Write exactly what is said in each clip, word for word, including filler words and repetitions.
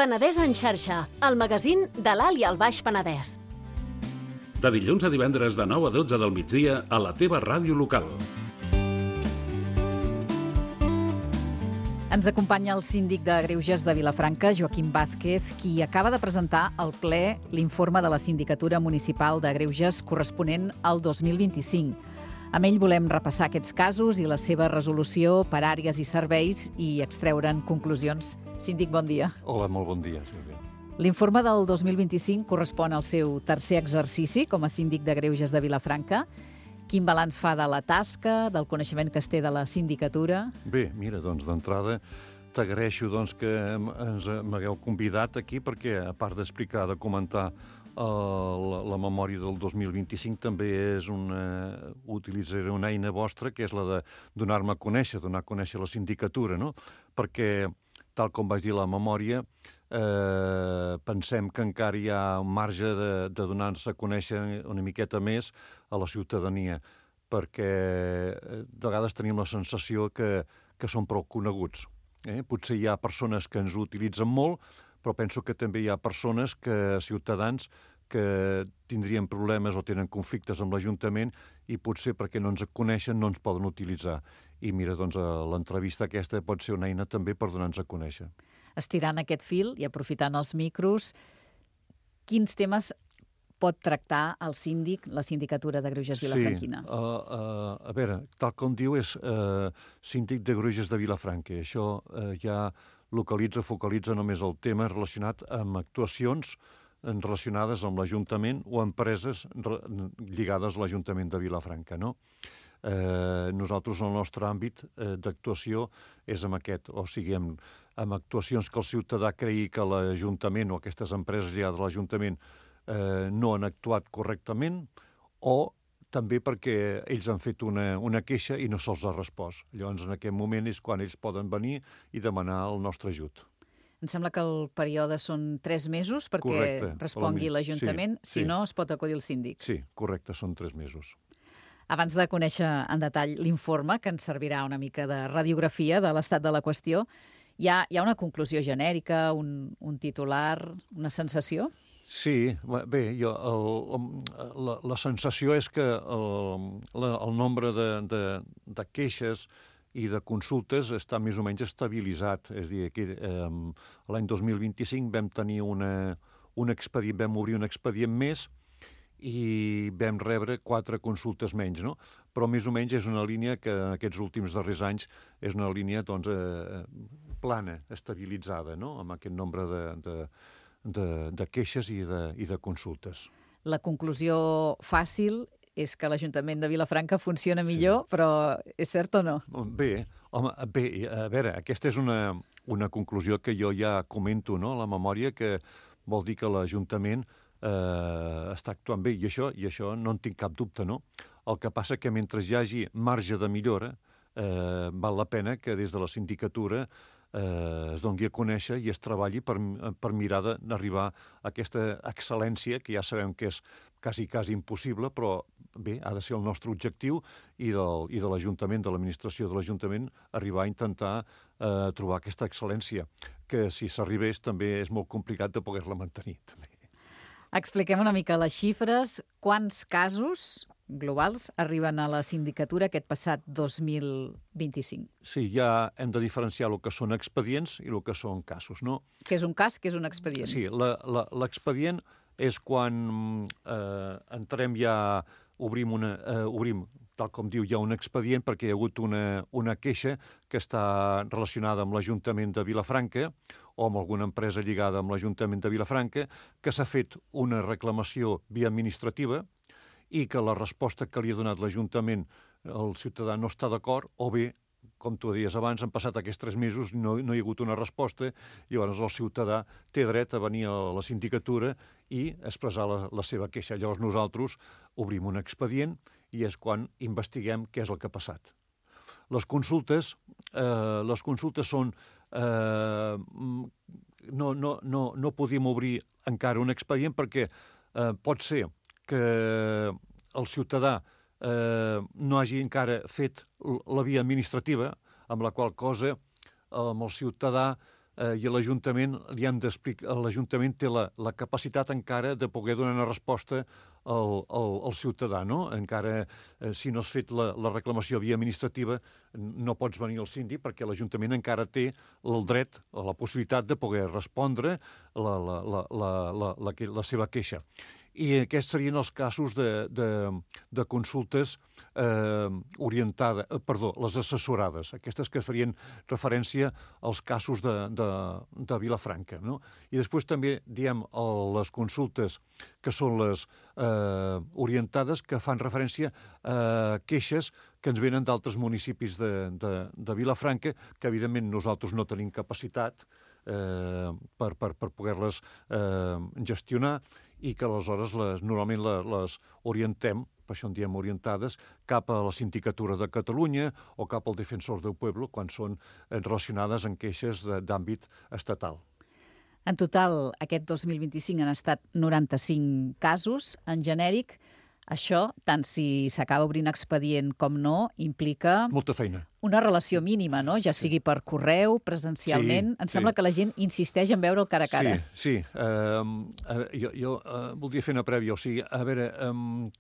Penedès en xarxa, el magazín de l'Alt i el Baix Penedès. De dilluns a divendres de nou a dotze del migdia a la teva ràdio local. Ens acompanya el síndic de Greuges de Vilafranca, Joaquim Vázquez, qui acaba de presentar al ple l'informe de la Sindicatura Municipal de Greuges corresponent al dos mil vint-i-cinc. Amb ell volem repassar aquests casos i la seva resolució per àrees i serveis i extreure'n conclusions. Síndic, bon dia. Hola, molt bon dia, Sílvia. L'informe del dos mil vint-i-cinc correspon al seu tercer exercici com a síndic de Greuges de Vilafranca. Quin balanç fa de la tasca, del coneixement que es té de la sindicatura? Bé, mira, doncs d'entrada t'agraeixo doncs, que ens m'hagueu convidat aquí perquè, a part d'explicar, de comentar uh, la, la memòria del dos mil vint-i-cinc, també és una, utilitzaré una eina vostra que és la de donar-me a conèixer, donar a conèixer la sindicatura, no? Perquè, tal com vaig dir la memòria, eh, pensem que encara hi ha un marge de, de donar-nos a conèixer una miqueta més a la ciutadania, perquè de vegades tenim la sensació que, que són prou coneguts. Eh? Potser hi ha persones que ens ho utilitzen molt, però penso que també hi ha persones, que ciutadans, que tindrien problemes o tenen conflictes amb l'Ajuntament i potser perquè no ens coneixen no ens poden utilitzar. I mira, doncs l'entrevista aquesta pot ser una eina també per donar-nos a conèixer. Estirant aquest fil i aprofitant els micros, quins temes pot tractar el síndic, la sindicatura de Greuges Vilafranquina? Sí, uh, uh, a veure, tal com diu és uh, síndic de Greuges de Vilafranca. Això uh, ja localitza, focalitza només el tema relacionat amb actuacions relacionades amb l'Ajuntament o empreses lligades a l'Ajuntament de Vilafranca, no? Eh, nosaltres, el nostre àmbit eh, d'actuació és amb aquest, o sigui, amb, amb actuacions que el ciutadà cregui que l'Ajuntament o aquestes empreses lligades a l'Ajuntament eh, no han actuat correctament, o també perquè ells han fet una, una queixa i no se'ls ha respost. Llavors, en aquest moment és quan ells poden venir i demanar el nostre ajut. Em sembla que el període són tres mesos perquè correcte, respongui l'Ajuntament, sí, si sí. No es pot acudir el síndic. Sí, correcte, són tres mesos. Abans de conèixer en detall l'informe, que ens servirà una mica de radiografia de l'estat de la qüestió, hi ha, hi ha una conclusió genèrica, un, un titular, una sensació? Sí, bé, jo, el, la, la sensació és que el, la, el nombre de, de, de queixes i de consultes està més o menys estabilitzat. És a dir, que eh, l'any dos mil vint-i-cinc vam tenir una, un expedient, vam obrir un expedient més i vam rebre quatre consultes menys, no? Però més o menys és una línia que en aquests últims darrers anys és una línia doncs, eh, plana, estabilitzada, no? Amb aquest nombre de, de, de, de queixes i de, i de consultes. La conclusió fàcil és que l'Ajuntament de Vilafranca funciona millor, sí. Però és cert o no? Bé, home, bé, a veure, aquesta és una, una conclusió que jo ja comento, no?, a la memòria, que vol dir que l'Ajuntament eh, està actuant bé, i això, i això no en tinc cap dubte, no? El que passa que mentre hi hagi marge de millora, eh, val la pena que des de la sindicatura eh, es doni a conèixer i es treballi per, per mirar d'arribar a aquesta excel·lència, que ja sabem que és quasi, quasi impossible, però bé, ha de ser el nostre objectiu i, del, i de l'Ajuntament, de l'administració de l'Ajuntament, arribar a intentar eh, trobar aquesta excel·lència, que si s'arribés també és molt complicat de poder-la mantenir. També. Expliquem una mica les xifres. Quants casos globals arriben a la sindicatura aquest passat dos mil vint-i-cinc? Sí, ja hem de diferenciar el que són expedients i el que són casos, no? Què és un cas, què és un expedient? Sí, l'expedient és quan eh, entrem ja, obrim, una, eh, obrim, tal com diu, ja un expedient perquè hi ha hagut una, una queixa que està relacionada amb l'Ajuntament de Vilafranca o amb alguna empresa lligada amb l'Ajuntament de Vilafranca, que s'ha fet una reclamació via administrativa i que la resposta que li ha donat l'Ajuntament el ciutadà no està d'acord, o bé, com tu deies abans, han passat aquests tres mesos, no, no hi ha hagut una resposta, i llavors el ciutadà té dret a venir a la sindicatura i expressar la, la seva queixa. Llavors nosaltres obrim un expedient i és quan investiguem què és el que ha passat. Les consultes, eh, les consultes són... Eh, no, no, no, no podíem obrir encara un expedient perquè eh, pot ser que el ciutadà eh, no hagi encara fet la via administrativa, amb la qual cosa amb el ciutadà eh, i l'Ajuntament li hem d'explicar, l'Ajuntament té la, la capacitat encara de poder donar una resposta al, al, al ciutadà, no? Encara, eh, si no has fet la, la reclamació via administrativa, no pots venir al síndic perquè l'Ajuntament encara té el dret o la possibilitat de poder respondre la, la, la, la, la, la, la seva queixa. I aquests serien els casos de, de, de consultes eh, orientades, eh, perdó, les assessorades, aquestes que farien referència als casos de, de, de Vilafranca, no? I després també diem les consultes que són les eh, orientades, que fan referència a queixes que ens venen d'altres municipis de, de, de Vilafranca, que evidentment nosaltres no tenim capacitat eh, per, per, per poder-les eh, gestionar, i que aleshores les, normalment les, les orientem, per això en diem orientades, cap a la Sindicatura de Catalunya o cap al Defensor del Pueblo, quan són relacionades amb queixes d'àmbit estatal. En total, aquest dos mil vint-i-cinc han estat noranta-cinc casos. En genèric, això, tant si s'acaba obrint expedient com no, implica... Molta feina. Una relació mínima, no? Ja sigui per correu, presencialment. Sí, em sembla sí. que la gent insisteix en veure'l cara a cara. Sí, sí. Uh, uh, jo jo uh, voldria fer una prèvia. O sigui, a veure, um,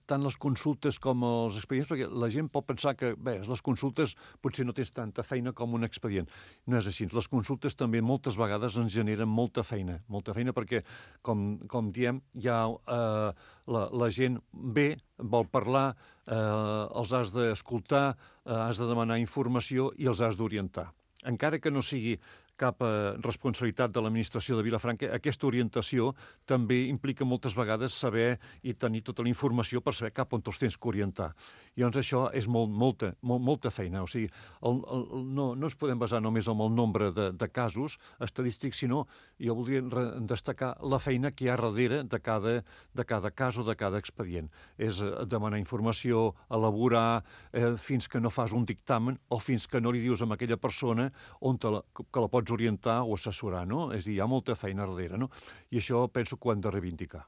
tant les consultes com els expedients, perquè la gent pot pensar que, bé, les consultes potser no tens tanta feina com un expedient. No és així. Les consultes també moltes vegades ens generen molta feina. Molta feina perquè, com, com diem, ja uh, la, la gent ve, vol parlar, eh, els has d'escoltar, eh, has de demanar informació i els has d'orientar. Encara que no sigui cap eh, responsabilitat de l'administració de Vilafranca, aquesta orientació també implica moltes vegades saber i tenir tota la informació per saber cap on els tens que orientar. I llavors això és molt, molta, molt, molta feina. O sigui, el, el, no, no ens podem basar només en el nombre de, de casos estadístics, sinó jo voldria destacar la feina que hi ha darrere de cada, de cada cas o de cada expedient. És demanar informació, elaborar, eh, fins que no fas un dictamen o fins que no li dius a aquella persona on te la, que la pots orientar o assessorar, no? És a dir, hi ha molta feina darrere, no? I això penso que ho hem de reivindicar.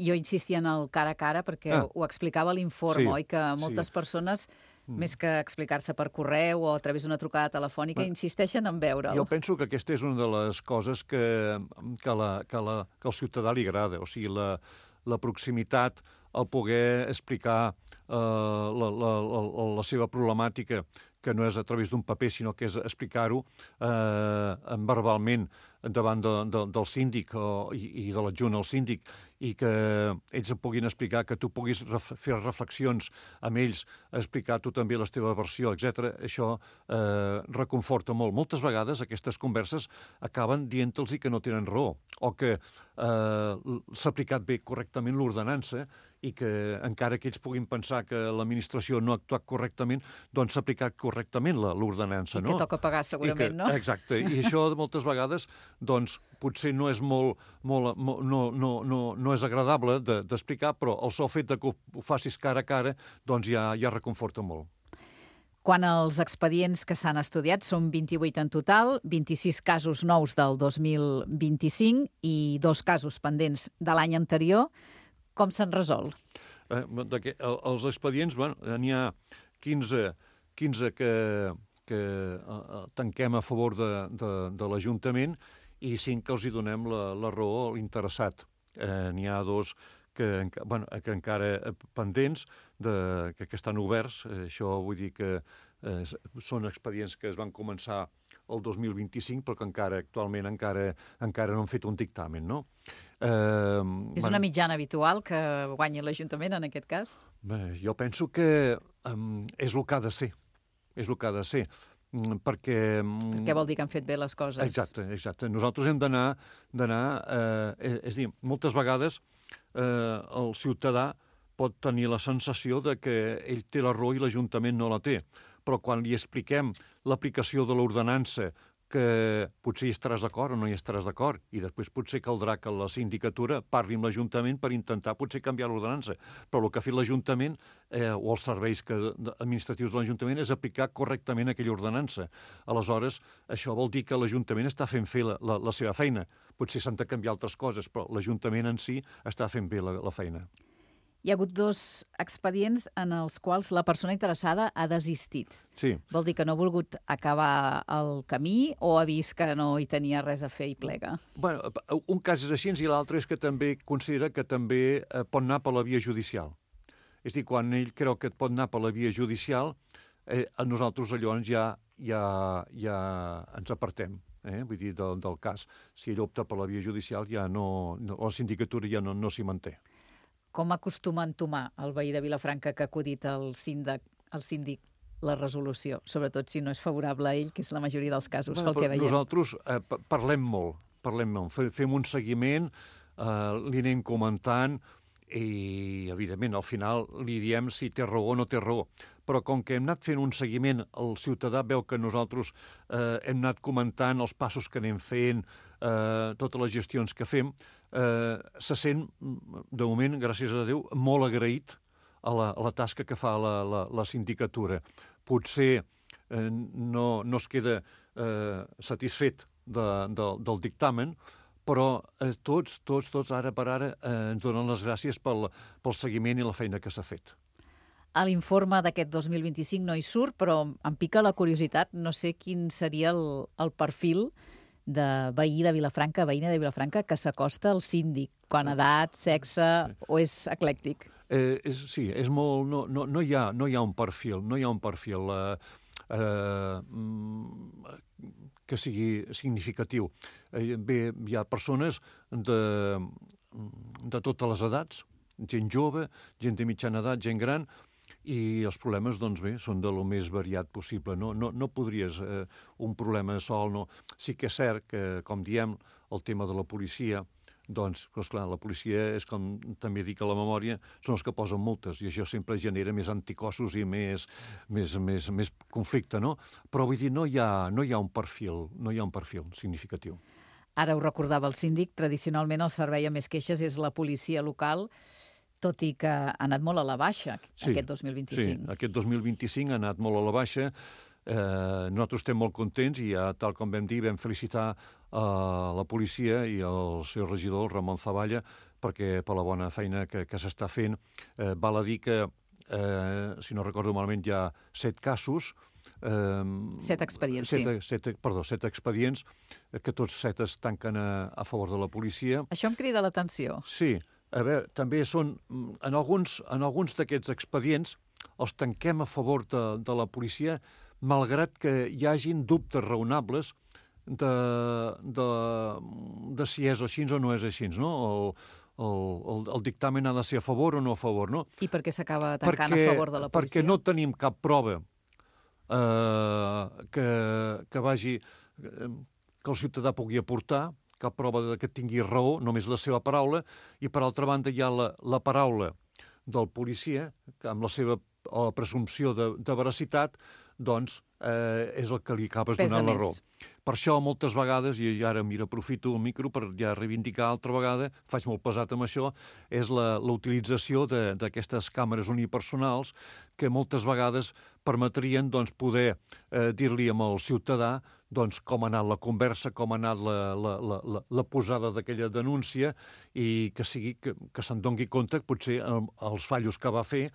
Jo insistia en el cara a cara perquè ah. ho explicava l'informe, Sí, oi? Que moltes sí. persones, Mm. més que explicar-se per correu o a través d'una trucada telefònica, Bé, insisteixen en veure'l. Jo penso que aquesta és una de les coses que, que, la, que, la, que al ciutadà li agrada, o sigui, la, la proximitat, el poder explicar eh, la, la, la, la seva problemàtica, que no és a través d'un paper, sinó que és explicar-ho eh, verbalment davant de, de, del síndic o, i, i de l'adjunt al síndic, i que ells et puguin explicar, que tu puguis ref, fer reflexions amb ells, explicar tu també la teva versió, etcètera. Això eh, reconforta molt. Moltes vegades aquestes converses acaben dient-los que no tenen raó, o que eh, s'ha aplicat bé correctament l'ordenança i que encara que ells puguin pensar que l'administració no ha actuat correctament, doncs s'ha aplicat correctament l'ordenança, no? I que toca pagar segurament, que, no? Exacte. I això moltes vegades doncs, potser no és molt, molt, molt no, no, no, no és agradable d'explicar, de, però el sol fet de que ho facis cara a cara doncs ja, ja reconforta molt. Quan els expedients que s'han estudiat són vint-i-vuit en total, vint-i-sis casos nous del dos mil vint-i-cinc i dos casos pendents de l'any anterior, com se'n resol? Eh, els expedients, bueno, n'hi ha quinze, quinze que, que eh, tanquem a favor de, de, de l'Ajuntament i cinc que els hi donem la, la raó a l'interessat. Eh, n'hi ha dos que, bueno, que encara pendents, de, que, que estan oberts. Eh, això vull dir que eh, són expedients que es van començar el dos mil vint-i-cinc, però que encara actualment encara, encara no han fet un dictamen, no? Eh, És una mitjana habitual que guanyi l'Ajuntament en aquest cas? Bé, jo penso que um, és el que ha de ser. És el que ha de ser. Perquè... Què vol dir que han fet bé les coses? Exacte, exacte. Nosaltres hem d'anar... d'anar eh, és a dir, moltes vegades eh, el ciutadà pot tenir la sensació de que ell té la raó i l'Ajuntament no la té. Però quan li expliquem l'aplicació de l'ordenança, que potser hi estaràs d'acord o no hi estaràs d'acord, i després potser caldrà que la sindicatura parli amb l'Ajuntament per intentar potser canviar l'ordenança. Però el que ha fet l'Ajuntament eh, o els serveis que, administratius de l'Ajuntament és aplicar correctament aquella ordenança. Aleshores, això vol dir que l'Ajuntament està fent fer la, la, la seva feina. Potser s'han de canviar altres coses, però l'Ajuntament en si està fent bé la, la feina. Hi ha hagut dos expedients en els quals la persona interessada ha desistit. Sí. Vol dir que no ha volgut acabar el camí o ha vist que no hi tenia res a fer i plega? Bueno, un cas és així i l'altre és que també considera que també eh, pot anar per la via judicial. És a dir, quan ell creu que et pot anar per la via judicial, eh, nosaltres llavors ja, ja, ja ens apartem. Eh? Vull dir, del, del cas. Si ell opta per la via judicial, ja no, no la sindicatura ja no, no s'hi manté. Com acostuma a entomar el veí de Vilafranca que ha acudit al síndic, al síndic la resolució, sobretot si no és favorable a ell, que és la majoria dels casos, Bueno, pel que veiem? Nosaltres eh, parlem molt, parlem molt. Fem un seguiment, eh, li anem comentant i, evidentment, al final li diem si té raó o no té raó. Però com que hem anat fent un seguiment, el ciutadà veu que nosaltres eh, hem anat comentant els passos que anem fent, eh, totes les gestions que fem, eh, se sent, de moment, gràcies a Déu, molt agraït a la, a la tasca que fa la, la, la sindicatura. Potser eh, no, no es queda eh, satisfet de, de, del dictamen, però eh, tots, tots, tots, ara per ara, eh, ens donen les gràcies pel, pel seguiment i la feina que s'ha fet. A l'informe d'aquest dos mil vint-i-cinc no hi surt, però em pica la curiositat. No sé quin seria el, el perfil de veí de Vilafranca, veïna de Vilafranca, que s'acosta al síndic, quan edat, sexe, o és eclèctic? Eh, és, sí, és molt... No, no, no, hi ha, no hi ha un perfil, no hi ha un perfil eh, eh, que sigui significatiu. Eh, bé, hi ha persones de, de totes les edats, gent jove, gent de mitjana edat, gent gran, i els problemes, doncs bé, són de lo més variat possible. No, no, no podries eh, un problema sol, no. Sí que és cert que, com diem, el tema de la policia, doncs, esclar, la policia és, com també dic a la memòria, són els que posen multes, i això sempre genera més anticossos i més, més, més, més conflicte, no? Però vull dir, no hi ha, no hi ha un perfil, no hi ha un perfil significatiu. Ara ho recordava el síndic, tradicionalment el servei amb més queixes és la policia local, tot i que ha anat molt a la baixa sí, aquest dos mil vint-i-cinc. Sí, aquest dos mil vint-i-cinc ha anat molt a la baixa. Eh, nosaltres estem molt contents i ja, tal com vam dir, vam felicitar a la policia i al seu regidor, Ramon Zavalla, perquè per la bona feina que, que s'està fent. Eh, val a dir que, eh, si no recordo malament, hi ha set casos, Eh, set expedients, set, sí. Set, perdó, set expedients, que tots set es tanquen a, a favor de la policia. Això em crida l'atenció. Sí, a veure, també són, en alguns, en alguns d'aquests expedients els tanquem a favor de, de la policia, malgrat que hi hagin dubtes raonables de, de, de si és així o no és així, no? El, el, el, el dictamen ha de ser a favor o no a favor, no? I per què s'acaba tancant perquè, a favor de la policia? Perquè no tenim cap prova eh, que, que vagi, que el ciutadà pugui aportar, cap prova de que tingui raó, només la seva paraula, i per altra banda hi ha la, la paraula del policia, que amb la seva o la presumpció de, de veracitat, doncs eh, és el que li acabes donant la raó. Per això, moltes vegades, i ara mira, aprofito el micro per ja reivindicar altra vegada, faig molt pesat amb això, és la, la utilització d'aquestes càmeres unipersonals que moltes vegades permetrien doncs, poder eh, dir-li al ciutadà doncs, com ha anat la conversa, com ha anat la, la, la, la, la posada d'aquella denúncia i que, sigui, que, que se'n doni compte potser el, els fallos que va fer,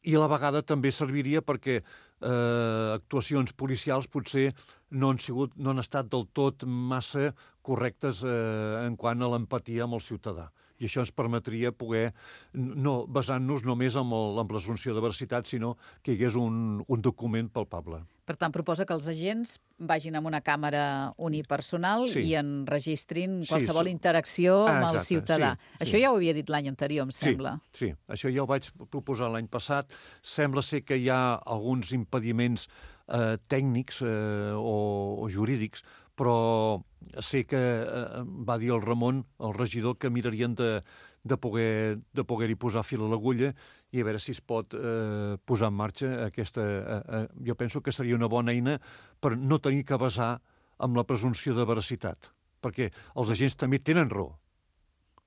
i a la vegada també serviria perquè eh, actuacions policials potser no han, sigut, no han estat del tot massa correctes eh, en quant a l'empatia amb el ciutadà. I això ens permetria poder, no basant-nos només en, el, en l'assumpció de veracitat, sinó que hi hagués un, un document palpable. Per tant, proposa que els agents vagin amb una càmera unipersonal sí. i enregistrin qualsevol sí, interacció ah, amb el exacte, ciutadà. Sí, això sí. Ja ho havia dit l'any anterior, em sembla. Sí, sí, això ja ho vaig proposar l'any passat. Sembla ser que hi ha alguns impediments eh, tècnics eh, o, o jurídics, però sé que eh, va dir el Ramon, el regidor, que mirarien de, de poder de poder-hi posar fil a l'agulla i a veure si es pot eh, posar en marxa aquesta... Eh, eh, jo penso que seria una bona eina per no tenir que basar amb la presumpció de veracitat, perquè els agents també tenen raó.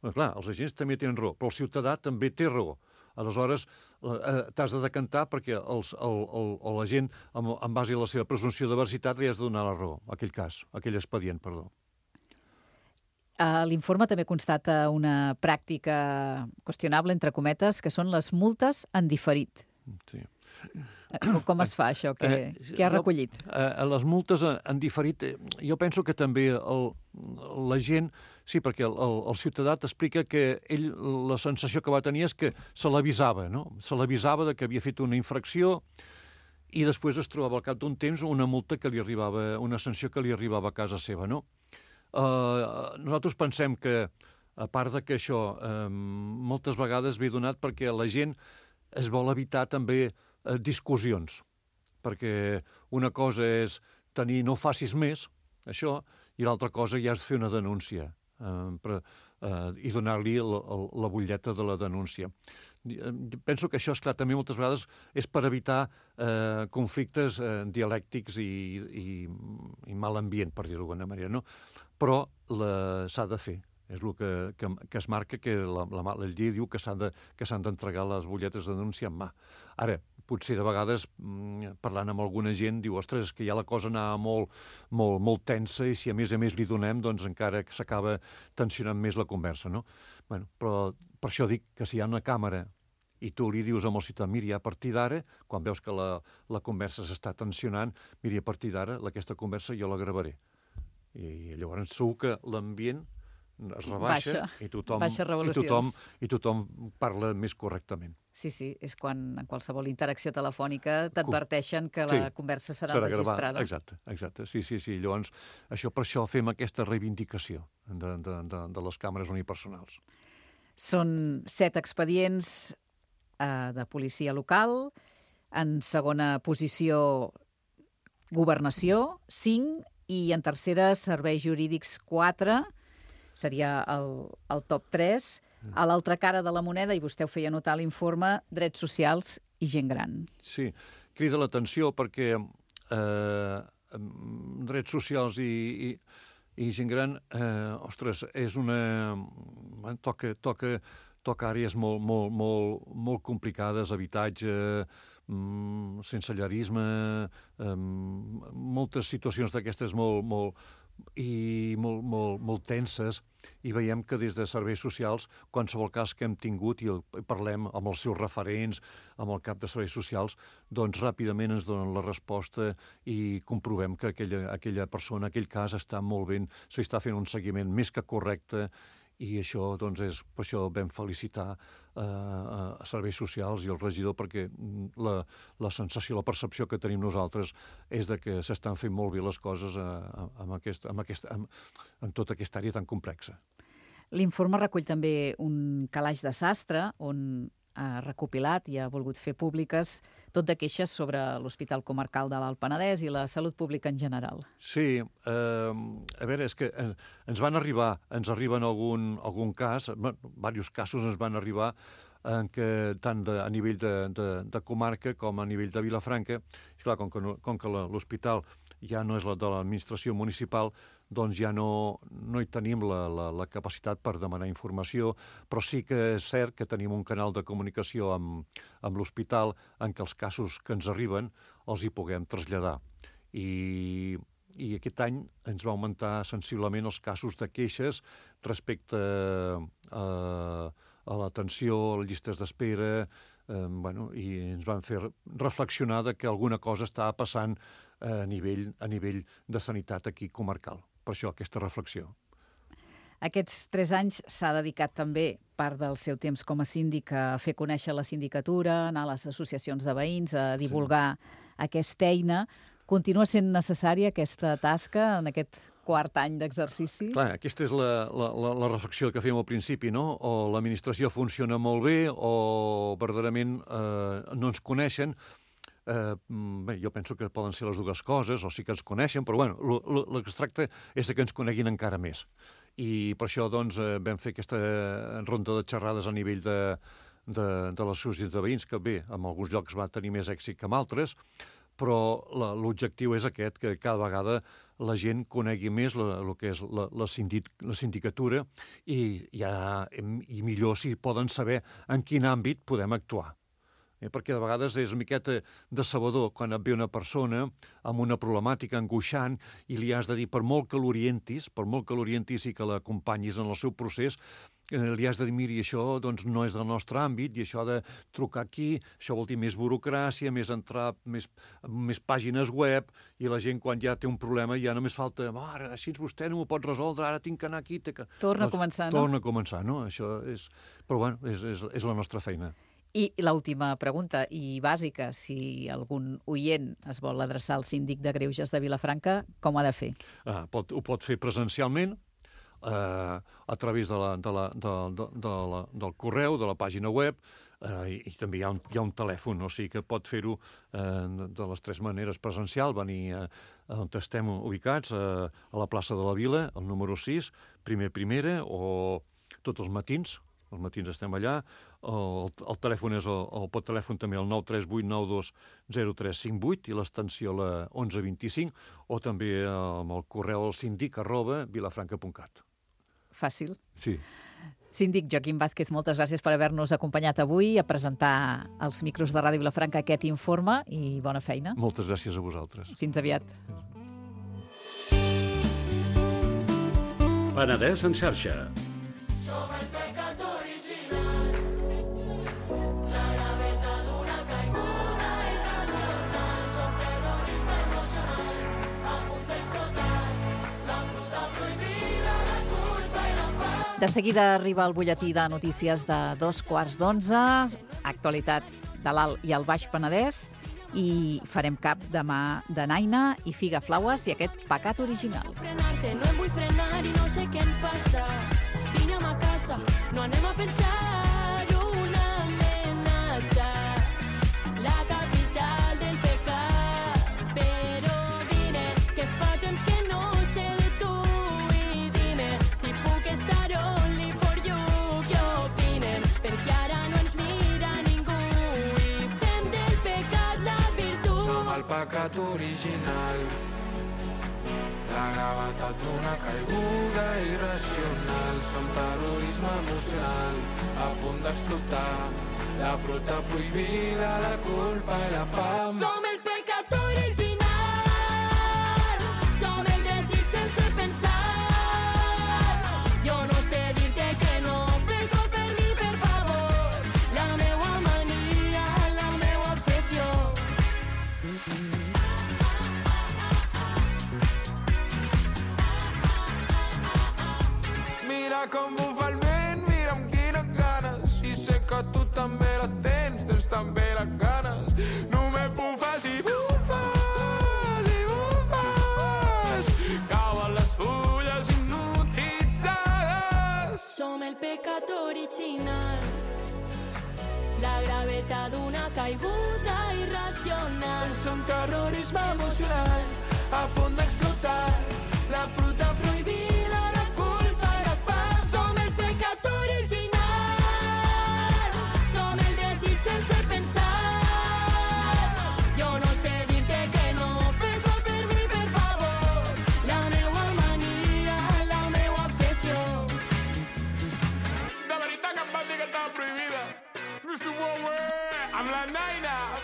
Clar, els agents també tenen raó, però el ciutadà també té raó. Aleshores, eh, t'has de decantar perquè els, el, el, la gent, en, en base a la seva presumpció de veracitat, li has de donar la raó, aquell cas, aquell expedient, perdó. L'informe també constata una pràctica qüestionable, entre cometes, que són les multes en diferit. Sí. Com es fa això? Què, eh, què ha recollit? Eh, les multes en diferit, jo penso que també el, la gent, sí, perquè el, el, el ciutadà t'explica que ell, la sensació que va tenir és que se l'avisava, no? Se l'avisava de que havia fet una infracció i després es trobava al cap d'un temps una multa que li arribava, una sanció que li arribava a casa seva, no? Eh, nosaltres pensem que, a part de que això eh, moltes vegades ve donat perquè la gent es vol evitar també eh, discussions, perquè una cosa és tenir no facis més, això, i l'altra cosa ja és fer una denúncia eh, per, eh, i donar-li la, la butlleta de la denúncia. Penso que això, esclar, també moltes vegades és per evitar eh, conflictes eh, dialèctics i, i, i mal ambient, per dir-ho d'alguna manera, no? Però s'ha de fer. És el que, que, que es marca que la, la, la llei diu que s'han de, que s'han d'entregar les butlletes de denúncia en mà. Ara, potser de vegades, parlant amb alguna gent, diu, ostres, és que ja la cosa anava molt, molt, molt tensa i si a més a més li donem, doncs encara s'acaba tensionant més la conversa, no? Bueno, però per això dic que si hi ha una càmera i tu li dius amb el ciutadà, miri, a partir d'ara, quan veus que la, la conversa s'està tensionant, miri, a partir d'ara, aquesta conversa jo la gravaré. I llavors segur que l'ambient es rebaixa baixa, i, tothom, baixa i, tothom, i tothom parla més correctament. Sí, sí, és quan en qualsevol interacció telefònica t'adverteixen que la sí, conversa serà, serà registrada. Gravada. Exacte, exacte. Sí, sí, sí. Llavors, això per això fem aquesta reivindicació de, de, de, de les càmeres unipersonals. Són set expedients eh, de policia local, en segona posició governació, cinc, i en tercera serveis jurídics, quatre, seria el, el top tres. A l'altra cara de la moneda, i vostè ho feia notar a l'informe, drets socials i gent gran. Sí, crida l'atenció perquè eh, drets socials i, i, i gent gran, eh, ostres, és una... toca, toca, toca àrees molt, molt, molt, molt complicades, habitatge, mm, sensellarisme, eh, moltes situacions d'aquestes molt, molt, i molt, molt, molt tenses, i veiem que des de serveis socials, qualsevol cas que hem tingut i el, parlem amb els seus referents, amb el cap de serveis socials, doncs ràpidament ens donen la resposta i comprovem que aquella, aquella persona, aquell cas està molt ben, s'hi està fent un seguiment més que correcte, i això, doncs, és, per això vam felicitar eh, a serveis socials i el regidor, perquè la, la sensació, la percepció que tenim nosaltres és de que s'estan fent molt bé les coses eh, amb, aquest, amb, aquest, amb, amb tota aquesta àrea tan complexa. L'informe recull també un calaix de sastre on ha recopilat i ha volgut fer públiques tot de queixes sobre l'Hospital Comarcal de l'Alt Penedès i la salut pública en general. Sí, eh, a veure, és que ens van arribar, ens arriben algun, algun cas, bueno, diversos casos ens van arribar en què tant de, a nivell de, de, de comarca com a nivell de Vilafranca, i clar, com que, no, com que l'hospital ja no és la de l'administració municipal, doncs ja no, no hi tenim la, la, la capacitat per demanar informació, però sí que és cert que tenim un canal de comunicació amb, amb l'hospital en què els casos que ens arriben els hi puguem traslladar. I, i aquest any ens va augmentar sensiblement els casos de queixes respecte a, a l'atenció, a les llistes d'espera, eh, bueno, i ens van fer reflexionar de que alguna cosa estava passant a nivell, a nivell de sanitat aquí comarcal. Per això, aquesta reflexió. Aquests tres anys s'ha dedicat també part del seu temps com a síndic a fer conèixer la sindicatura, anar a les associacions de veïns, a divulgar sí. aquesta eina. Continua sent necessària aquesta tasca en aquest quart any d'exercici? Clar, aquesta és la, la, la reflexió que fèiem al principi, no? O l'administració funciona molt bé o verdaderament eh, no ens coneixen. Eh, bé, jo penso que poden ser les dues coses, o sí que ens coneixen, però bueno, el que es tracta és que ens coneguin encara més. I per això doncs, eh, vam fer aquesta ronda de xerrades a nivell de, de, de les associacions de veïns, que bé, en alguns llocs va tenir més èxit que en altres, però l'objectiu és aquest, que cada vegada la gent conegui més el que és la, la, sindic, la sindicatura i, ja, i millor si poden saber en quin àmbit podem actuar. Eh, perquè de vegades és una miqueta decebedor quan et ve una persona amb una problemàtica angoixant i li has de dir, per molt que l'orientis, per molt que l'orientis i que l'acompanyis en el seu procés, eh, li has de dir, miri, això doncs, no és del nostre àmbit i això de trucar aquí, això vol dir més burocràcia, més entrar, més, més pàgines web, i la gent quan ja té un problema ja només falta, ara, així vostè no m'ho pot resoldre, ara tinc que anar aquí... Que... Torna doncs, a començar, no? Torna a començar, no? Això és... Però bueno, és, és, és la nostra feina. I l'última pregunta, i bàsica, si algun oient es vol adreçar al síndic de Greuges de Vilafranca, com ha de fer? Ah, pot, ho pot fer presencialment, eh, a través de la, de la, de, de, de la, del correu, de la pàgina web, eh, i, i també hi ha, un, hi ha un telèfon, o sigui que pot fer-ho eh, de les tres maneres: presencial, venir eh, on estem ubicats, eh, a la plaça de la Vila, el número sis, primer primera, o tots els matins. Els matins estem allà, el, el telèfon és el, el pot telèfon també el nou tres vuit nou dos zero tres cinc vuit i l'extensió la onze vint-i-cinc, o també amb el correu al síndic arroba vilafranca punt cat. Fàcil. Sí. Síndic Joaquim Vázquez, moltes gràcies per haver-nos acompanyat avui a presentar als micros de Ràdio Vilafranca aquest informe i bona feina. Moltes gràcies a vosaltres. Fins aviat. Penedès en xarxa. Som el pecat original, la gravetat d'una caiguda irracional, som terrorisme emocional, a punt d'explotar, la fruta prohibida, la culpa i la fam. De seguida arriba el butlletí de notícies de dos quarts d'onze, actualitat de l'Alt i el Baix Penedès, i farem cap demà de Naina i Figa Flaues i aquest pecat original. Frenarte, no em vull frenar i no sé què em passa. Vine a casa, no anem a pensar una amenaça. La capital del pecat, però vine, que fa temps que no sé de tu i dime si puc estar only for you. Què opinen? Perquè ara no ens mira ningú i fem del pecat la virtut. Som el pecat original, la gravetat d'una caiguda irracional, som terrorisme emocional, a punt d'explotar, la fruita prohibida, la culpa i la fam. Som el pecat original, som el desig sense pensar. Jo no sé dir-te que no, fes-ho per mi, per favor. La meua mania, la meua obsessió. Mira com bufa el vent, mira amb quines ganes, i sé que tu també la tens, tens també les ganes. Només bufes i bufes i bufes, cauen les fulles hipnotitzades. Som el pecat original, la gravetat d'una caiguda irracional. Som terrorisme emocional, a punt d'explotar, la fruita prohibida, la culpa i la fam. Som el pecat original, som el desig sense pensar. Jo no sé dir-te que no, fes-ho per mi, per favor. La meua mania, la meua obsessió. De veritat que em van dir que estava prohibida. mister Wowe, amb la Naina.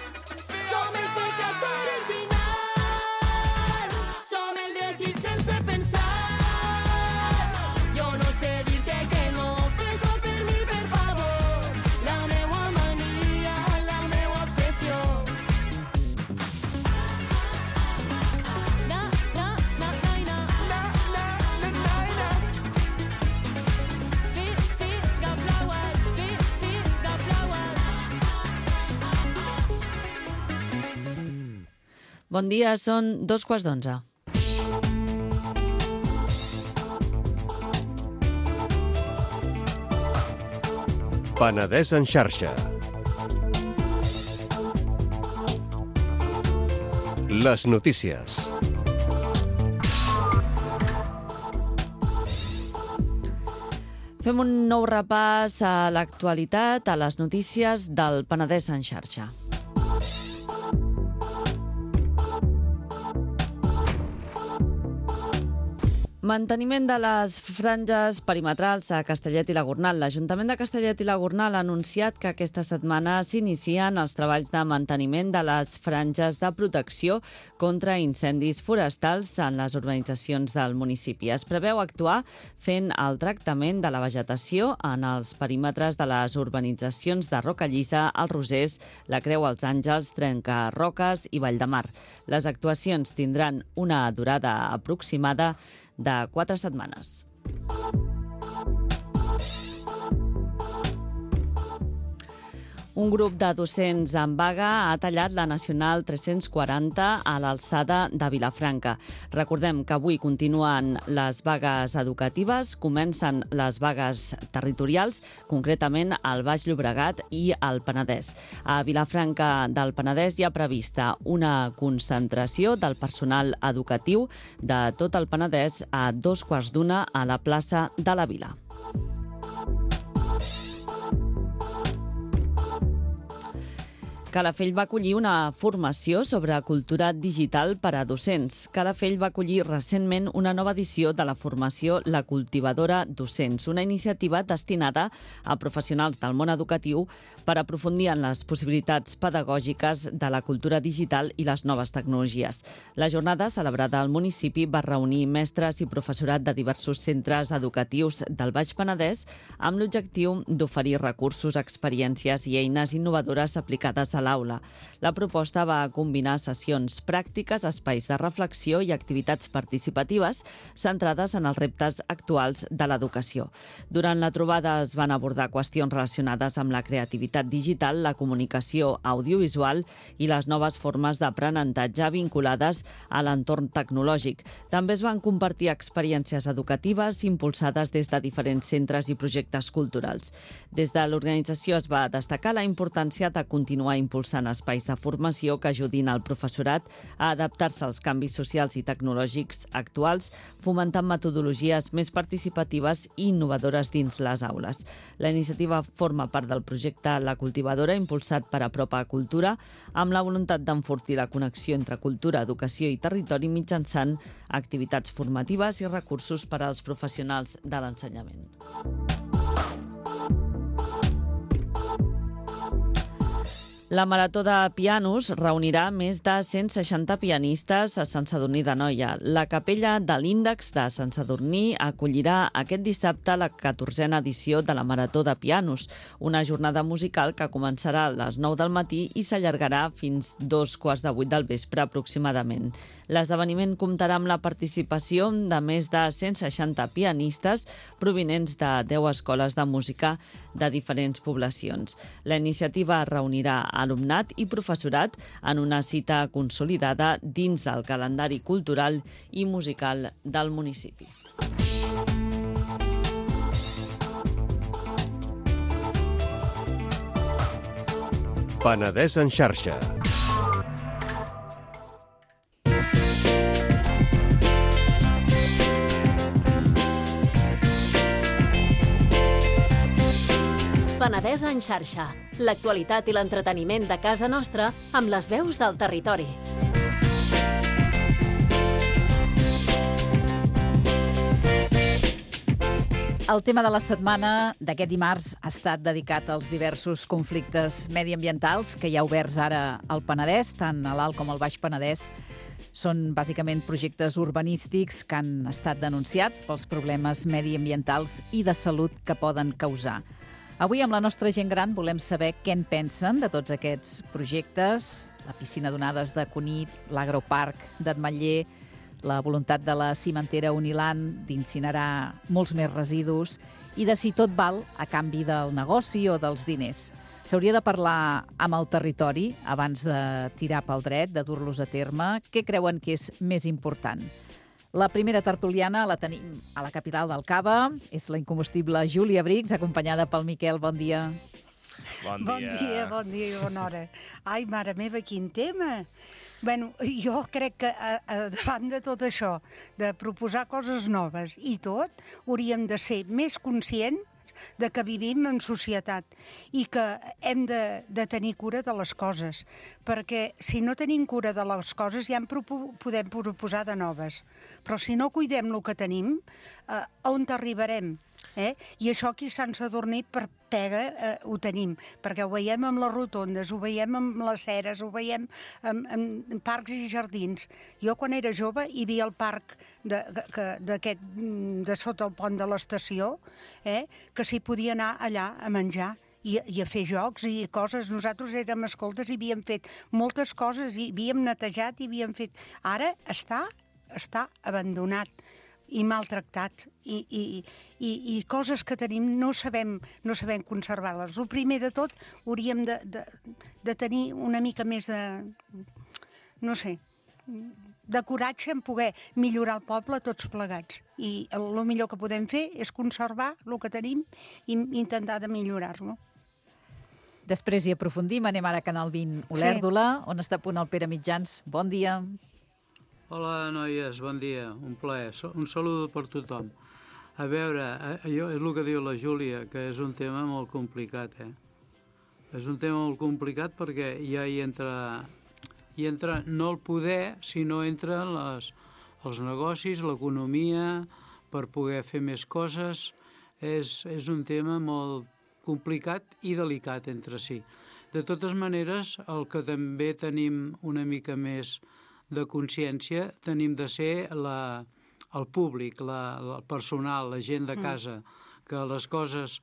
Som el pecat original, som el desig sense pensar. Jo no sé dir-te que no, fes-ho per mi, per favor. La meua mania, la meua obsessió. Na, na, na, naina. Na, na, na, Naina. Fi, figa flaues, fi, figa flaues. Bon dia, són dos quarts d'onze. Penedès en xarxa. Les notícies. Fem un nou repàs a l'actualitat, a les notícies del Penedès en xarxa. Manteniment de les franges perimetrals a Castellet i la Gornal. L'Ajuntament de Castellet i la Gornal ha anunciat que aquesta setmana s'inicien els treballs de manteniment de les franges de protecció contra incendis forestals en les urbanitzacions del municipi. Es preveu actuar fent el tractament de la vegetació en els perímetres de les urbanitzacions de Rocallissa, els Rosers, la Creu als Àngels, Trencarroques i Valldemar. Les actuacions tindran una durada aproximada de quatre setmanes. Un grup de docents en vaga ha tallat la Nacional tres-cents quaranta a l'alçada de Vilafranca. Recordem que avui continuen les vagues educatives, comencen les vagues territorials, concretament al Baix Llobregat i al Penedès. A Vilafranca del Penedès hi ha prevista una concentració del personal educatiu de tot el Penedès a dos quarts d'una a la plaça de la Vila. Calafell va acollir una formació sobre cultura digital per a docents. Calafell va acollir recentment una nova edició de la formació La Cultivadora Docents, una iniciativa destinada a professionals del món educatiu per aprofundir en les possibilitats pedagògiques de la cultura digital i les noves tecnologies. La jornada, celebrada al municipi, va reunir mestres i professorat de diversos centres educatius del Baix Penedès amb l'objectiu d'oferir recursos, experiències i eines innovadores aplicades a l'aula. La proposta va combinar sessions pràctiques, espais de reflexió i activitats participatives centrades en els reptes actuals de l'educació. Durant la trobada es van abordar qüestions relacionades amb la creativitat digital, la comunicació audiovisual i les noves formes d'aprenentatge vinculades a l'entorn tecnològic. També es van compartir experiències educatives impulsades des de diferents centres i projectes culturals. Des de l'organització es va destacar la importància de continuar impulsant espais de formació que ajudin al professorat a adaptar-se als canvis socials i tecnològics actuals, fomentant metodologies més participatives i innovadores dins les aules. La iniciativa forma part del projecte La Cultivadora, impulsat per Apropa Cultura, amb la voluntat d'enfortir la connexió entre cultura, educació i territori mitjançant activitats formatives i recursos per als professionals de l'ensenyament. La Marató de Pianos reunirà més de cent seixanta pianistes a Sant Sadurní d'Anoia. La capella de l'Índex de Sant Sadurní acollirà aquest dissabte la catorzena edició de la Marató de Pianos, una jornada musical que començarà a les nou del matí i s'allargarà fins dos quarts de vuit del vespre aproximadament. L'esdeveniment comptarà amb la participació de més de cent seixanta pianistes provinents de deu escoles de música de diferents poblacions. La iniciativa reunirà alumnat i professorat en una cita consolidada dins el calendari cultural i musical del municipi. Penedès en xarxa. Penedès en xarxa. L'actualitat i l'entreteniment de casa nostra amb les veus del territori. El tema de la setmana d'aquest dimarts ha estat dedicat als diversos conflictes mediambientals que hi ha oberts ara al Penedès, tant a l'Alt com al Baix Penedès. Són bàsicament projectes urbanístics que han estat denunciats pels problemes mediambientals i de salut que poden causar. Avui, amb la nostra gent gran, volem saber què en pensen de tots aquests projectes, la piscina d'onades de Cunit, l'agroparc d'Ametller, la voluntat de la cimentera Uniland d'incinerar molts més residus i de si tot val a canvi del negoci o dels diners. S'hauria de parlar amb el territori abans de tirar pel dret, de dur-los a terme. Què creuen que és més important? La primera tertuliana la tenim a la capital del Cava. És la incombustible Júlia Brix, acompanyada pel Miquel. Bon dia. Bon dia. Bon dia, bon dia i bona hora. Ai, mare meva, quin tema! Bueno, jo crec que a, a, davant de tot això, de proposar coses noves i tot, hauríem de ser més conscients de que vivim en societat i que hem de, de tenir cura de les coses, perquè si no tenim cura de les coses ja en propo, podem proposar de noves. Però si no cuidem el que tenim, eh, on arribarem? Eh? I això aquí a Sant Sadurní per pega eh, ho tenim, perquè ho veiem amb les rotondes, ho veiem amb les ceres, ho veiem en, en parcs i jardins. Jo quan era jove hi havia el parc de, que, d'aquest, de sota el pont de l'estació, eh, que s'hi podia anar allà a menjar i, i a fer jocs i coses. Nosaltres érem escoltes i havíem fet moltes coses, i havíem netejat i havíem fet... Ara està, està abandonat i maltractat, i, i, i, i coses que tenim no sabem, no sabem conservar-les. El primer de tot hauríem de, de, de tenir una mica més de, no sé, de coratge en poder millorar el poble tots plegats. I el, el millor que podem fer és conservar el que tenim i intentar de millorar-lo. Després hi aprofundim, anem ara a Canal vint Olèrdola, sí. On està a punt el Pere Mitjans. Bon dia. Hola, noies, bon dia, un plaer. Un saludo per tothom. A veure, allò és el que diu la Júlia, que és un tema molt complicat, eh? És un tema molt complicat perquè ja hi entra, hi entra no el poder, sinó entren les, els negocis, l'economia, per poder fer més coses. És, és un tema molt complicat i delicat entre si. De totes maneres, el que també tenim una mica més de consciència, tenim de ser la, el públic, la, el personal, la gent de casa, que les coses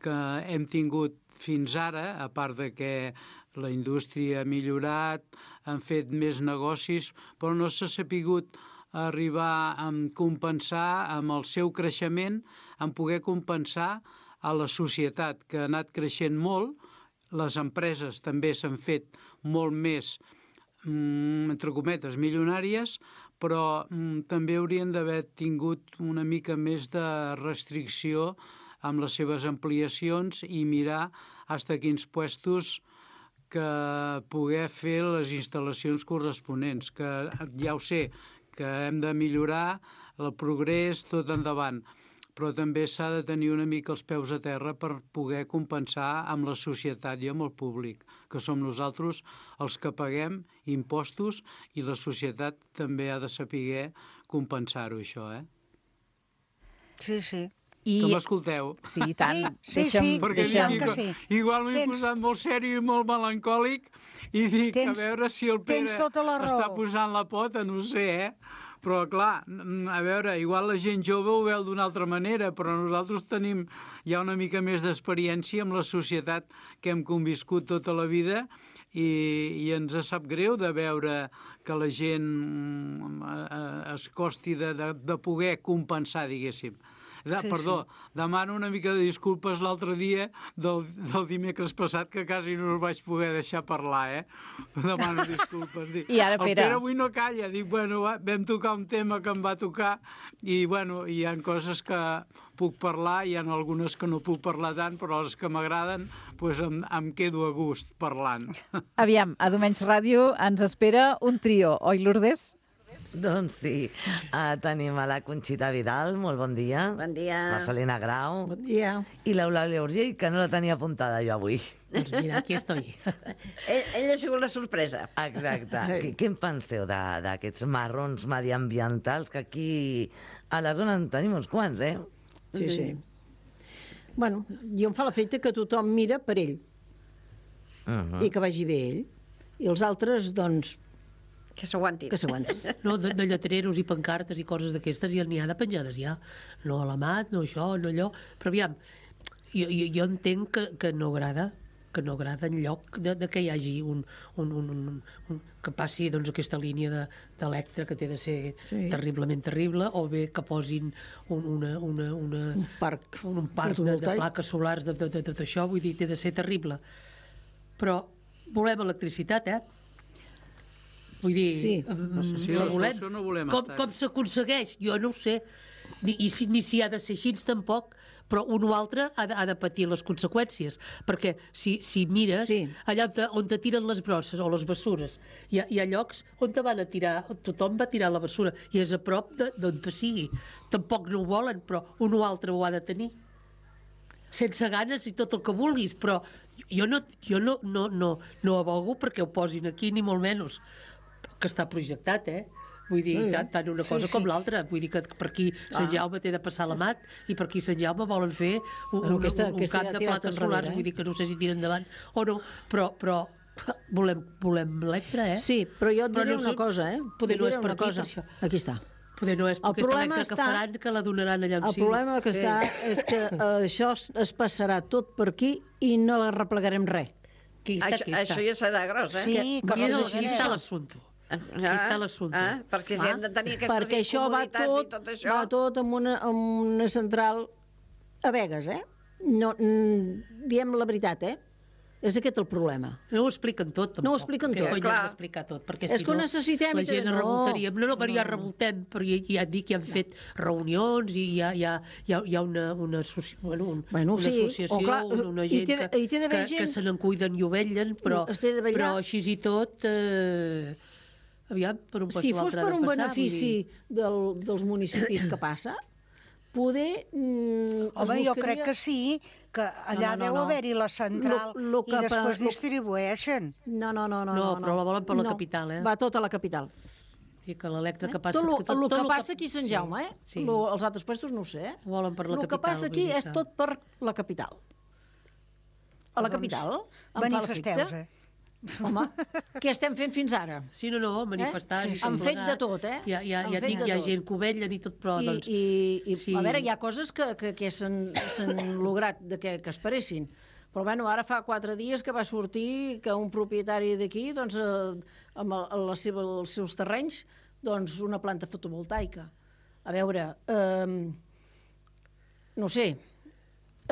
que hem tingut fins ara, a part de que la indústria ha millorat, han fet més negocis, però no s'ha sapigut arribar a compensar amb el seu creixement, en poder compensar a la societat, que ha anat creixent molt. Les empreses també s'han fet molt més, entre cometes, milionàries, però mm, també haurien d'haver tingut una mica més de restricció amb les seves ampliacions i mirar fins a quins puestos que poder fer les instal·lacions corresponents, que ja ho sé, que hem de millorar el progrés tot endavant, però també s'ha de tenir una mica els peus a terra per poder compensar amb la societat i amb el públic, que som nosaltres els que paguem impostos, i la societat també ha de saber compensar-ho, això, eh? Sí, sí. I... Que m'escolteu? Sí, i tant. Sí, sí, deixa'm, sí, perquè deixa'm... dic, sí. Igual m'he Tens... posat molt sèrio i molt melancòlic i dic, Tens... a veure si el Pere tota la raó. està posant la pota, no ho sé, eh? Però, clar, a veure, igual la gent jove ho veu d'una altra manera, però nosaltres tenim ja una mica més d'experiència amb la societat que hem conviscut tota la vida, i, i ens sap greu de veure que la gent es costi de, de, de poder compensar, diguéssim. De, Sí, perdó, sí. Demano una mica de disculpes l'altre dia del, del dimecres passat, que quasi no us vaig poder deixar parlar, eh? Demano disculpes. Dic, I ara, el Pere... Pere avui no calla. Dic, bueno, va, vam tocar un tema que em va tocar i, bueno, hi ha coses que puc parlar, hi ha algunes que no puc parlar tant, però les que m'agraden, doncs em, em quedo a gust parlant. Aviam, a Domenys Ràdio ens espera un trio, oi, Lourdes? Doncs sí, uh, tenim a la Conxita Vidal, molt bon dia. Bon dia. Marcelina Grau. Bon dia. I l'Eulàlia Urgell, que no la tenia apuntada jo avui. Doncs mira, aquí estoy. ell, ell ha sigut la sorpresa. Exacte. Què, què en penseu d'aquests marrons mediambientals, que aquí a la zona en tenim uns quants, eh? Sí, sí. Bueno, jo em fa l'efecte que tothom mira per ell. Uh -huh. I que vagi bé ell. I els altres, doncs... Que s'aguantin. Que s'aguantin. No, de, de lletreros i pancartes i coses d'aquestes ja n'hi ha de penjades, ja. No a la mat, no això, no allò... Però aviam, jo, jo, jo entenc que, que no agrada, que no agrada en lloc de, de que hi hagi un, un, un, un, un que passi doncs, aquesta línia d'Electra, que té de ser sí. terriblement terrible, o bé que posin un, una, una, una, un parc, un, un parc de, de plaques solars de, de, de, de tot això, vull dir, té de ser terrible. Però volem electricitat, eh? Vull dir, sí. um, sí, la volem. no volem com, estar. com s'aconsegueix? Jo no ho sé. Ni, i si, ni si ha de ser així tampoc, però un o altre ha de, ha de patir les conseqüències. Perquè si, si mires, sí. allà on te, on te tiren les brosses o les bessures, hi ha, hi ha llocs on te van a tirar, tothom va tirar la bessura, i és a prop d'on te sigui. Tampoc no ho volen, però un o altre ho ha de tenir. sense ganes i tot el que vulguis, però jo no, jo no, no, no, no abogo perquè ho posin aquí, ni molt menys, que està projectat, eh? Vull dir, Sí. tant, tant una Sí, cosa sí. com l'altra. Vull dir que per aquí Sant Ah. Jaume té de passar la mat i per aquí Sant Jaume volen fer un, Bueno, un, aquesta- un aquesta camp ja de ha tirat plaques enrere, solars. eh? Vull dir que no sé si tira endavant o no, però, però volem, volem Electra, eh? Sí, però jo et Però diré no una sé- cosa, eh? Poder Et no diré és per una aquí, cosa. per això. Aquí està. Poder no és El perquè aquesta problema Electra que està- faran, que la donaran allà on El sigui. problema que Sí. està és que eh, això es, es passarà tot per aquí i no arreplegarem res. Aquí Això, això ja serà gros, eh? Sí, que Aquí és- vols aquí dir està això. l'assumpte. Ah, Aquí està l'assumpte. Ah, perquè si hem de tenir aquestes Perquè això va incomoditats tot, i tot això... va tot amb una, amb una central a Vegas, eh? No, mm, diem la veritat, eh? És aquest el problema. No ho expliquen tot, tampoc. No ho expliquen Què tot. cony Clar. has d'explicar tot? Perquè És si que ho no, necessitem la i gent tot. es revoltaria. No, no, però ja No. revoltem, però ja, ja et dic que han fet reunions i hi ha, hi ha, hi ha, hi ha una, una, associ... bueno, un, Bueno, una sí, associació, o clar, una, una i gent té de- que, i té d'haver que, gent- que se n'en cuiden i ho vetllen, però, Es té de vetllar. però així i tot... Eh, aviam, per un pas Si o fos l'altre per ha de un passar, vull benefici dir- del, dels municipis que passa, poder... Mm, Home, es jo buscaria- crec que sí, que allà No, no, no, deu no. haver-hi la central Lo- lo i que pa- després lo- distribueixen. No, no, no, no. No, però la volen per la no. capital, eh? Va tot a la capital. I que l'Electra que passa... Tot lo, que el que lo passa aquí a Sant Jaume, eh? Sí. Lo, els altres puestos no ho sé, eh? Ho volen per la El que capital. passa vull aquí dir és que- tot per la capital. A la Doncs capital? Em fa Manifesteu-se. l'efecte. Home, què estem fent fins ara? Sí, no, no, manifestar... Eh? i Sí, han tot fet plegat. de tot, eh? Hi ha, hi ha, Han hi ha, fet dic, de hi ha tot. gent que ho vetllen i tot, però, I, doncs... i, i sí. a veure, hi ha coses que, que, que s'han s'han lograt de que, que esperessin. Però bueno, ara fa quatre dies que va sortir que un propietari d'aquí, doncs, eh, amb el, la seva, els seus terrenys, doncs, una planta fotovoltaica. A veure, eh, no sé,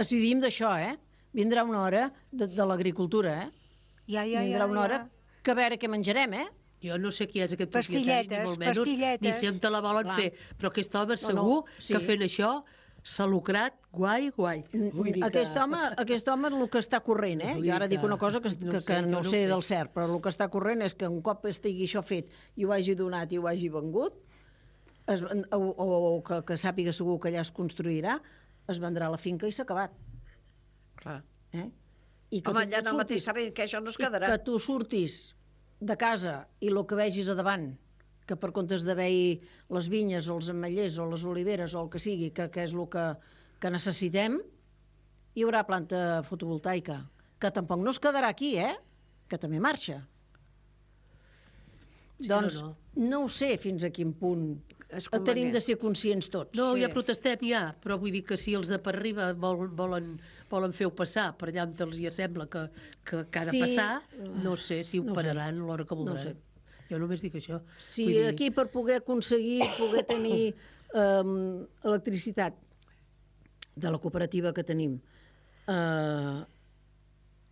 es vivim d'això, eh? Vindrà una hora de, de l'agricultura, eh? Ja, ja, Vindrà ja, una hora ja. que a veure què menjarem, eh? Jo no sé qui és aquest propietari, ni Pastilletes, molt menys, pastilletes. ni si em te la volen Clar. fer. Però aquest home No, no, segur sí. que fent això s'ha lucrat guai, guai. Vull dir que- Aquest home, aquest home el que està corrent, eh? Vull Jo ara dir dic que- una cosa que, no que, sé, que jo no no sé ho sé. del cert, però el que està corrent és que un cop estigui això fet i ho hagi donat i ho hagi vengut, es, o, o, o que, que sàpiga segur que allà es construirà, es vendrà la finca i s'ha acabat. Clar. Eh? I Home, tu allà en el mateix surtis- terreny, que això no es i quedarà. que tu surtis de casa i el que vegis a davant, que per comptes d'haver-hi les vinyes o els ametllers o les oliveres o el que sigui, que, que és el que, que necessitem, hi haurà planta fotovoltaica, que tampoc no es quedarà aquí, eh? Que també marxa. Sí, doncs no, no, no ho sé fins a quin punt És tenim convenient. de ser conscients tots. No, Sí. ja protestem ja, però vull dir que si els de per arriba volen, volen, volen fer-ho passar per allà on els hi sembla que, que, que ha de Sí. passar, no sé si ho No ho sé. pararan a l'hora que voldran. sé. Jo només dic això. Si Vull dir- aquí per poder aconseguir, poder tenir um, electricitat de la cooperativa que tenim, uh,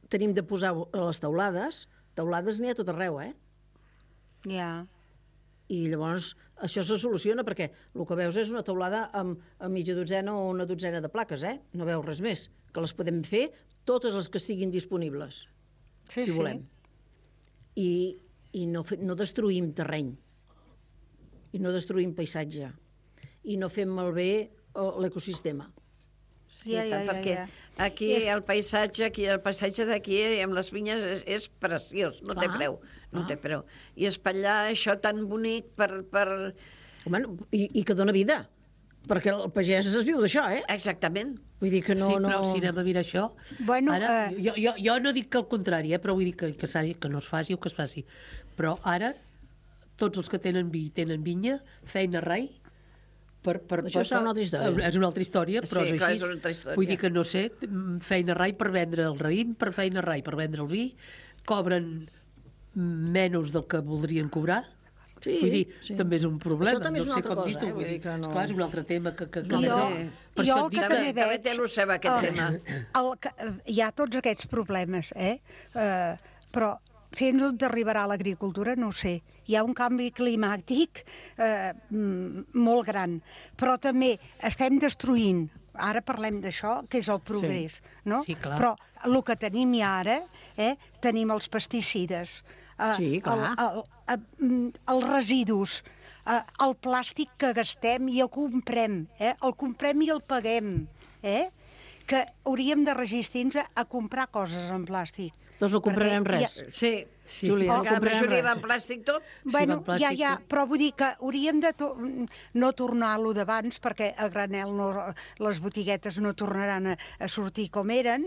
tenim de posar a les teulades, teulades n'hi ha a tot arreu, eh? Ja. I llavors això se soluciona perquè el que veus és una teulada amb, amb mitja dotzena o una dotzena de plaques, eh? No veus res més. Que les podem fer totes les que estiguin disponibles, Sí, si sí. volem. I, i no, fe, no destruïm terreny. I no destruïm paisatge. I no fem malbé eh, l'ecosistema. Sí, Ja, ja, ja, tant, ja, perquè ja. aquí És- el paisatge, aquí el paisatge d'aquí amb les vinyes és, és preciós, no té Clar, preu, no clar. té preu. I espatllar això tan bonic per... per... Home, i, i que dona vida, perquè el pagès es viu d'això, eh? Exactament. Vull dir que no... sí, però no... si anem a mirar això... Bueno, ara, eh, jo, jo, jo no dic que el contrari, eh, però vull dir que, que, s'hagi- que no es faci o que es faci. Però ara, tots els que tenen vi tenen vinya, feina rai, per, per, Això per, serà una altra història. És una altra història, però Sí, és clar, així. és una altra història. Vull dir que, no sé, feina rai per vendre el raïm, per feina rai per vendre el vi, cobren menys del que voldrien cobrar. Sí, Vull dir, sí. també és un problema. Això també és no una sé altra com cosa, dir-ho, eh? vull Vull dir, dir que no- esclar, és un altre tema que... que, que Jo, per jo això el et que dic també també veig... té el seu aquest el- tema. El, que, hi ha tots aquests problemes, eh? eh però fins on arribarà l'agricultura, no ho sé. Hi ha un canvi climàtic eh, mm, molt gran, però també estem destruint, ara parlem d'això, que és el progrés, sí. no? Sí, clar. Però el que tenim ja ara, eh, tenim els pesticides, eh, Sí, clar. el, el, el, els residus, eh, el plàstic que gastem i el comprem, eh? el comprem i el paguem, eh? que hauríem de resistir-nos a, a comprar coses en plàstic. Doncs no comprarem Perquè res. ja- Sí, Sí. Júlia, No que la comprarem majoria res. va en plàstic tot. Bueno, va en ja, plàstic, ja, sí. però vull dir que hauríem de to no tornar-lo d'abans, perquè a granel no, les botiguetes no tornaran a, a sortir com eren.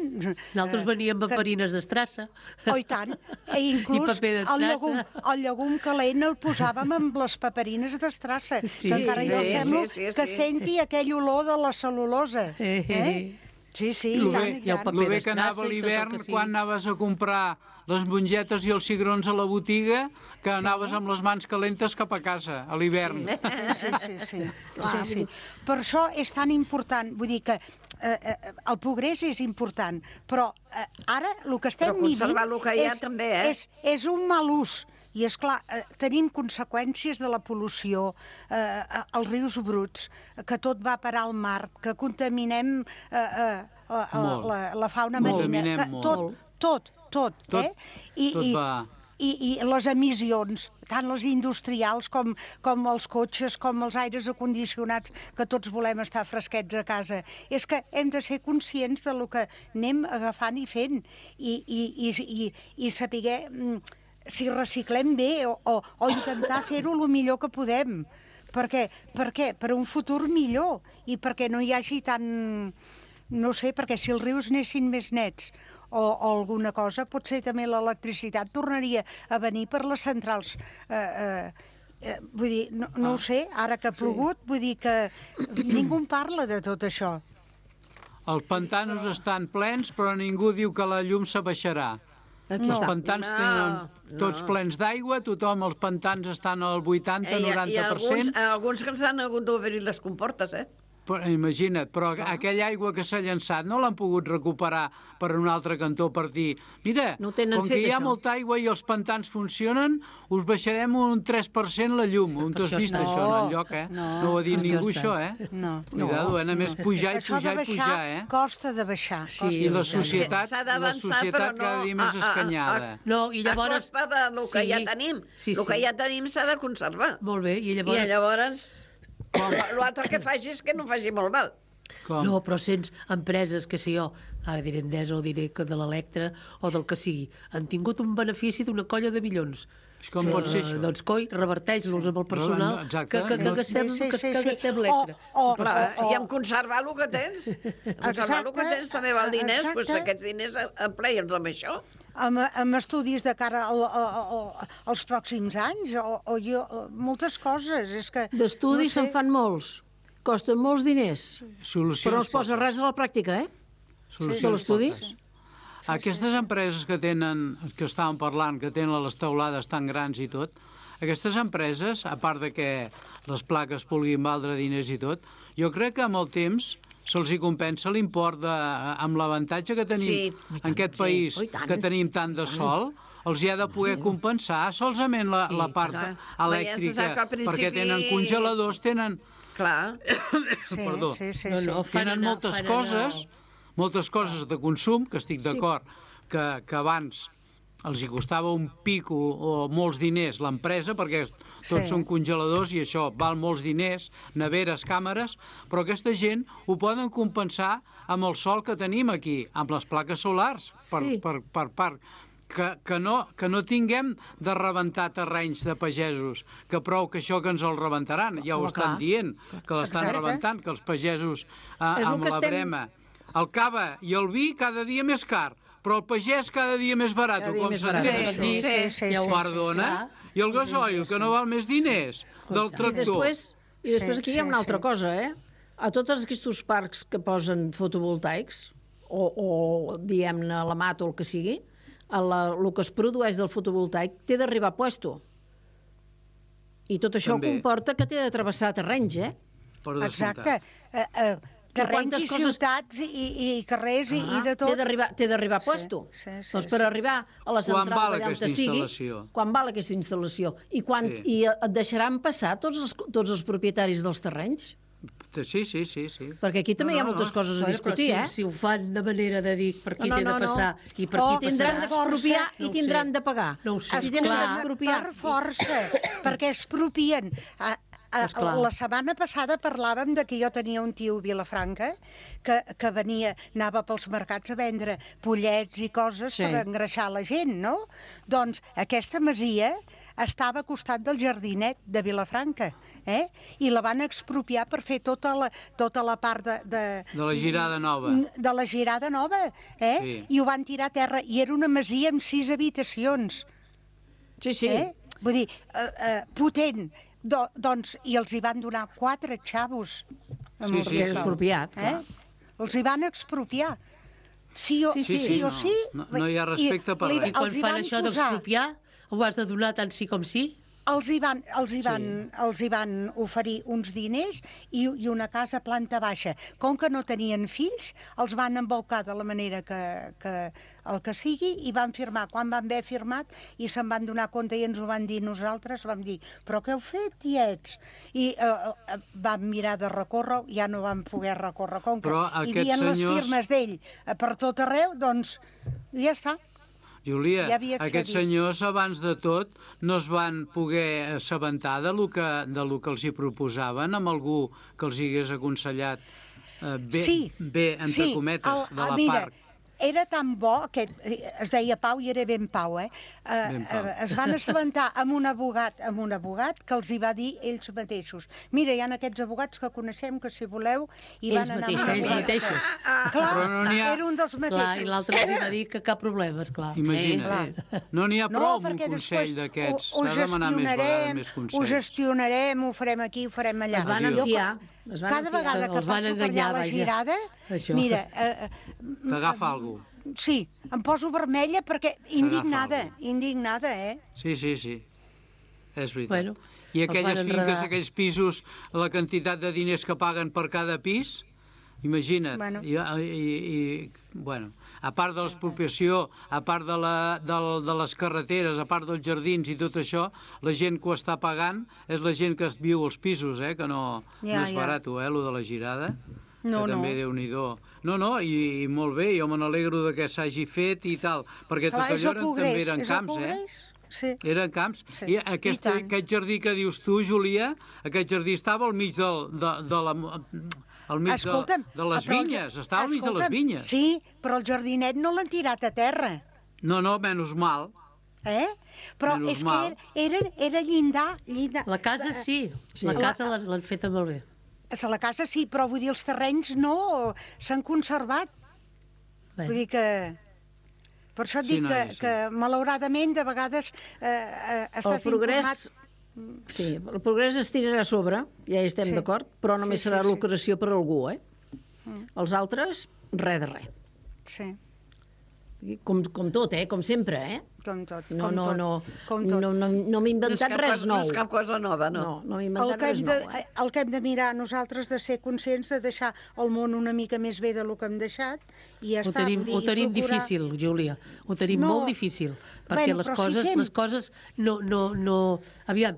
Nosaltres veníem amb farines d'estrassa. Oh, i tant. I inclús I paper el d'estrassa. llegum, el llegum calent el posàvem amb les paperines d'estrassa. Sí, Encara jo sí, semblo sí, sí, que sí. senti aquell olor de la cel·lulosa. Eh, eh, Eh? Sí, sí, i Lo tant, bé, i i el tant. paper lo bé que d'estrassa anava a i tot el l'hivern, que sigui. quan anaves a comprar les mongetes i els cigrons a la botiga, que anaves amb les mans calentes cap a casa, a l'hivern. Sí, sí, sí. sí. sí, sí. Per això és tan important, vull dir que eh, eh, el progrés és important, però eh, ara el que estem Però conservar vivint el que hi ha és, també, eh? és, és un mal ús. I, és clar, eh, tenim conseqüències de la pol·lució, eh, els rius bruts, que tot va parar al mar, que contaminem eh, eh, la, Molt. la, la fauna Molt. marina. Contaminem Que, molt. tot, tot, tot, Tot- eh? I, tot i, va. i, i les emissions, tant les industrials com, com els cotxes, com els aires acondicionats, que tots volem estar fresquets a casa. És que hem de ser conscients de lo que anem agafant i fent i, i, i, i, i saber mm, si reciclem bé o, o, o intentar fer-ho el millor que podem. Per què? Per què? Per un futur millor i perquè no hi hagi tant... No sé, perquè si els rius anessin més nets o, o alguna cosa, potser també l'electricitat tornaria a venir per les centrals. Eh, eh, eh, vull dir, no, no ho sé, ara que ha plogut, vull dir que ningú en parla de tot això. Els pantanos estan plens, però ningú diu que la llum s'abaixarà. Aquí Els està. pantans No, tenen tots no. plens d'aigua, tothom, els pantans estan al vuitanta Eh, I, noranta i per alguns, cent. alguns que ens han hagut d'obrir les comportes, eh? Però, imagina't, però aquella aigua que s'ha llançat no l'han pogut recuperar per un altre cantó per dir, mira, No ho tenen com que fet, hi ha això. molta aigua i els pantans funcionen, us baixarem un tres per cent la llum. On t'has això vist està. això en el lloc, eh? No, No ho ha dit això ningú, està. això, eh? No, Cuidado, eh? Només pujar i Això de pujar i baixar pujar, eh? costa de baixar. Sí, I la és societat, S'ha la d'avançar, societat però no cada dia més a- a- a- escanyada. No, i llavors... A costa de lo que Sí, ja tenim. sí, El que sí. ja tenim s'ha de conservar. Molt bé, i llavors... I llavors... L'altre que faci és que no faci molt mal. Com? No, però sents empreses, que sé jo, ara diré Endesa o diré que de l'Electra o del que sigui, han tingut un benefici d'una colla de milions. Com pot ser això? Doncs coi, reverteix-los amb el personal No, exacte. que, que, que No. gastem, Sí, sí, que, sí, que sí. gastem l'Electra. O- o- Clar, o- i en conservar el que tens. Conservar el que Exacte, tens també val diners, exacte. doncs aquests diners empleia'ls amb això. Amb, amb estudis de cara al, al, al, als pròxims anys, o, o jo, moltes coses. És que, D'estudis no se'n fan molts, costen molts diners, Solucions però no es posa poques. res a la pràctica, eh? Solucions de l'estudi. poques. Aquestes empreses que tenen, que estàvem parlant, que tenen les teulades tan grans i tot, aquestes empreses, a part de que les plaques puguin valdre diners i tot, jo crec que amb el temps se'ls hi compensa l'import de, amb l'avantatge que tenim Sí. en aquest país, Oh, i tant. que tenim tant de sol, els hi ha de poder compensar solament la, Sí, la part clar. elèctrica, Veiem, se sap que al principi- perquè tenen congeladors, tenen... Clar. Sí, Perdó. sí, sí, No, sí. no, fan Tenen anar- moltes fan coses, anar- moltes coses de consum, que estic d'acord, que, que abans els hi costava un pico o molts diners l'empresa, perquè tots Sí. són congeladors i això val molts diners, neveres, càmeres, però aquesta gent ho poden compensar amb el sol que tenim aquí, amb les plaques solars, per, Sí. per, per part. Que, que, no, que no tinguem de rebentar terrenys de pagesos, que prou que això que ens el rebentaran, ja ho Home, estan clar. dient, que l'estan Exacte. rebentant, que els pagesos eh, És el amb que la estem- brema. El cava i el vi cada dia més car, però el pagès cada dia més barat, Cada dia com més barat. s'entén. Sí, sí, sí, sí, Perdona? I el gasoil, que no val més diners del I tractor. després, i després Sí, aquí hi ha sí, una altra sí. cosa, eh? A tots aquests parcs que posen fotovoltaics, o, o diguem-ne la mat o el que sigui, a la, el que es produeix del fotovoltaic té d'arribar a puesto. I tot això També. comporta que té de travessar terrenys, eh? Per descomptat. Exacte. Eh, eh, terrenys quantes i coses- ciutats i, i, i carrers i, i de Ah, tot. Té d'arribar té d'arribar a puesto. Sí, sí, doncs sí, per sí, arribar a la Quan central val d'allà on aquesta sigui, instal·lació? quan val aquesta instal·lació? I, quan, Sí. i et deixaran passar tots els, tots els propietaris dels terrenys? Sí, sí, sí, sí. Perquè aquí també No, hi ha no, moltes no. coses a Bueno, discutir, però eh? si, si ho fan de manera de dir per qui No, no, té de no, no. passar i per O qui tindran passarà... d'expropiar No i ho tindran sé. de pagar. No ho sé. Si tenen Escolta, d'expropiar... per força, perquè expropien. A, a, la setmana passada parlàvem de que jo tenia un tio a Vilafranca que, que venia, anava pels mercats a vendre pollets i coses sí. per engreixar la gent, no? Doncs aquesta masia estava al costat del jardinet de Vilafranca, eh? I la van expropiar per fer tota la, tota la part de, de... De la girada nova. De la girada nova, eh? Sí. I ho van tirar a terra. I era una masia amb sis habitacions. Sí, sí. Eh? Vull dir, eh, eh, potent. Do, doncs, i els hi van donar quatre xavos. Sí, sí, és expropiat, eh? Els hi van expropiar. Sí o sí, sí, sí, o sí. No, no hi ha respecte per res. I quan fan això d'expropiar, ho has de donar tant sí com sí? Els hi van, els hi van, sí. els hi van oferir uns diners i, i una casa a planta baixa. Com que no tenien fills, els van embolcar de la manera que, que el que sigui i van firmar. Quan van haver firmat i se'n van donar compte i ens ho van dir nosaltres, vam dir, però què heu fet, tiets? I eh, vam mirar de recórrer, ja no vam poder recórrer. Com que hi havia senyors... les firmes d'ell per tot arreu, doncs ja està. Júlia, ja aquests senyors, abans de tot, no es van poder assabentar de lo que, de lo que els hi proposaven amb algú que els hi hagués aconsellat eh, bé, sí, bé, entre sí, cometes, el, de la mira, part. Era tan bo, que es deia Pau i era ben Pau, eh? Ben Pau. Eh, es van assabentar amb un abogat, amb un abogat que els hi va dir ells mateixos. Mira, hi ha aquests abogats que coneixem que si voleu i ells van anar... Mateixos, ells mateixos. Clar, però no ha... era un dels mateixos. Clar, i l'altre els va dir que cap problema, esclar. Imagina't. Eh? No n'hi ha prou no, amb un consell d'aquests. Has de demanar més vegades més consells. Ho gestionarem, ho farem aquí, ho farem allà. Es van enfiar. Cada vegada que passo per allà a la girada, mira... T'agafa algú. Sí, em poso vermella perquè indignada, indignada, eh? Sí, sí, sí, és veritat. Bueno, I aquelles finques, aquells pisos, la quantitat de diners que paguen per cada pis, imagina't. Bueno. I, i, i, bueno, a part de l'expropiació, a part de, la, de, de les carreteres, a part dels jardins i tot això, la gent que ho està pagant és la gent que viu als pisos, eh? Que no, ja, no és ja. barat, eh, lo de la girada. No, que també, no. Déu-n'hi-do. No, no, i, i molt bé, jo me n'alegro de que s'hagi fet i tal, perquè Clar, tot allò eren, progrés, també eren camps, eh? Sí. Eren camps. Sí. I aquest, I aquest jardí que dius tu, Júlia, aquest jardí estava al mig del, de, de la... al mig Escolta'm, de, de les vinyes, estava al mig de les vinyes. Sí, però el jardinet no l'han tirat a terra. No, no, menys mal. Eh? Però menys és mal. que era, era llindar, llindar. La casa sí, sí. La casa l'han feta molt bé. A la casa sí, però vull dir, els terrenys no, s'han conservat. Bé. Vull dir que... Per això et Sí, dic noia, que, sí. que malauradament de vegades eh, eh, estàs El progrés, informat... sí, el progrés es tirarà a sobre, ja hi estem Sí. d'acord, però només Sí, sí, serà sí. lucració per algú, eh? Mm. Els altres, res de res. Sí, Com, com tot, eh? Com sempre, eh? com tot. No, com no, tot, no, com tot. no, no, no m'he No és inventat cap res cosa- nou. No és cap cosa nova, no. No, no m'he El inventat que, hem res de, nou, eh? el que hem de mirar nosaltres de ser conscients de deixar el món una mica més bé del que hem deixat i ja Ho està. tenim, vull dir, ho tenim procurar... difícil, Júlia. Ho tenim No. molt difícil. Perquè Bueno, les, però si coses, fem- les coses no... no, no... Aviam,